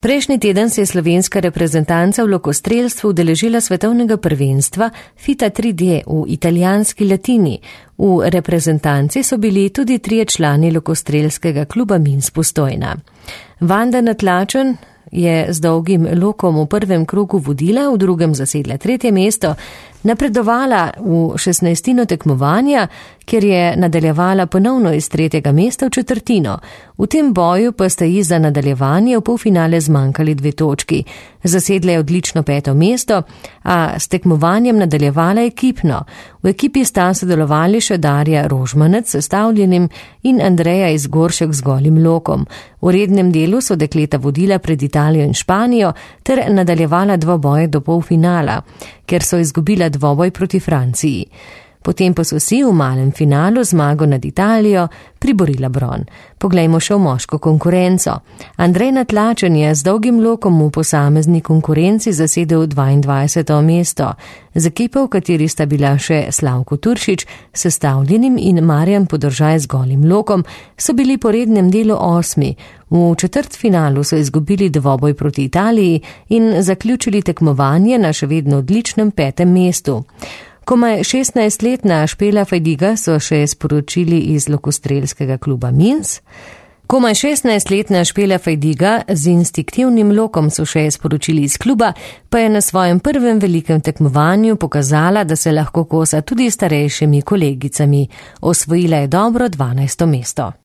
Prejšnji teden se je slovenska reprezentanca v lokostrelstvu udeležila svetovnega prvenstva FITA 3D v italijanski Latini. V reprezentanci so bili tudi 3 člani lokostrelskega kluba Minsk Postojna. Vanda Natlačen je z dolgim lokom v prvem krogu vodila, v drugem zasedla 3. mesto, napredovala v 16. tekmovanja, kjer je nadaljevala ponovno iz 3. mesta v 4. V tem boju pa sta ji za nadaljevanje v polfinale zmanjkali 2 točki. Zasedla je odlično 5. mesto, a s tekmovanjem nadaljevala ekipno. V ekipi sta sodelovali še Darja Rožmanec s sestavljenim in Andreja Izgoršek z golim lokom. V rednem delu so dekleta vodila pred Italijo in Španijo ter nadaljevala dvoboje do polfinala, ker so izgubila dvoboj proti Franciji. Potem pa so si v malem finalu zmago nad Italijo priborila bron. Poglejmo še v moško konkurenco. Andrej Natlačen je z dolgim lokom v posamezni konkurenci zasedel 22. mesto. Z ekipo, v kateri sta bila še Slavko Turšič s sestavljenim in Marjan Podržaj z golim lokom, so bili po rednem delu 8. V četrtfinalu so izgubili dvoboj proti Italiji in zaključili tekmovanje na še vedno odličnem 5. mestu. Komaj 16-letna Špela Fajdiga so še sporočili iz lokostrelskega kluba Minsk. Komaj 16-letna Špela Fajdiga z instinktivnim lokom so še sporočili iz kluba, pa je na svojem prvem velikem tekmovanju pokazala, da se lahko kosa tudi starejšimi kolegicami. Osvojila je dobro 12. mesto.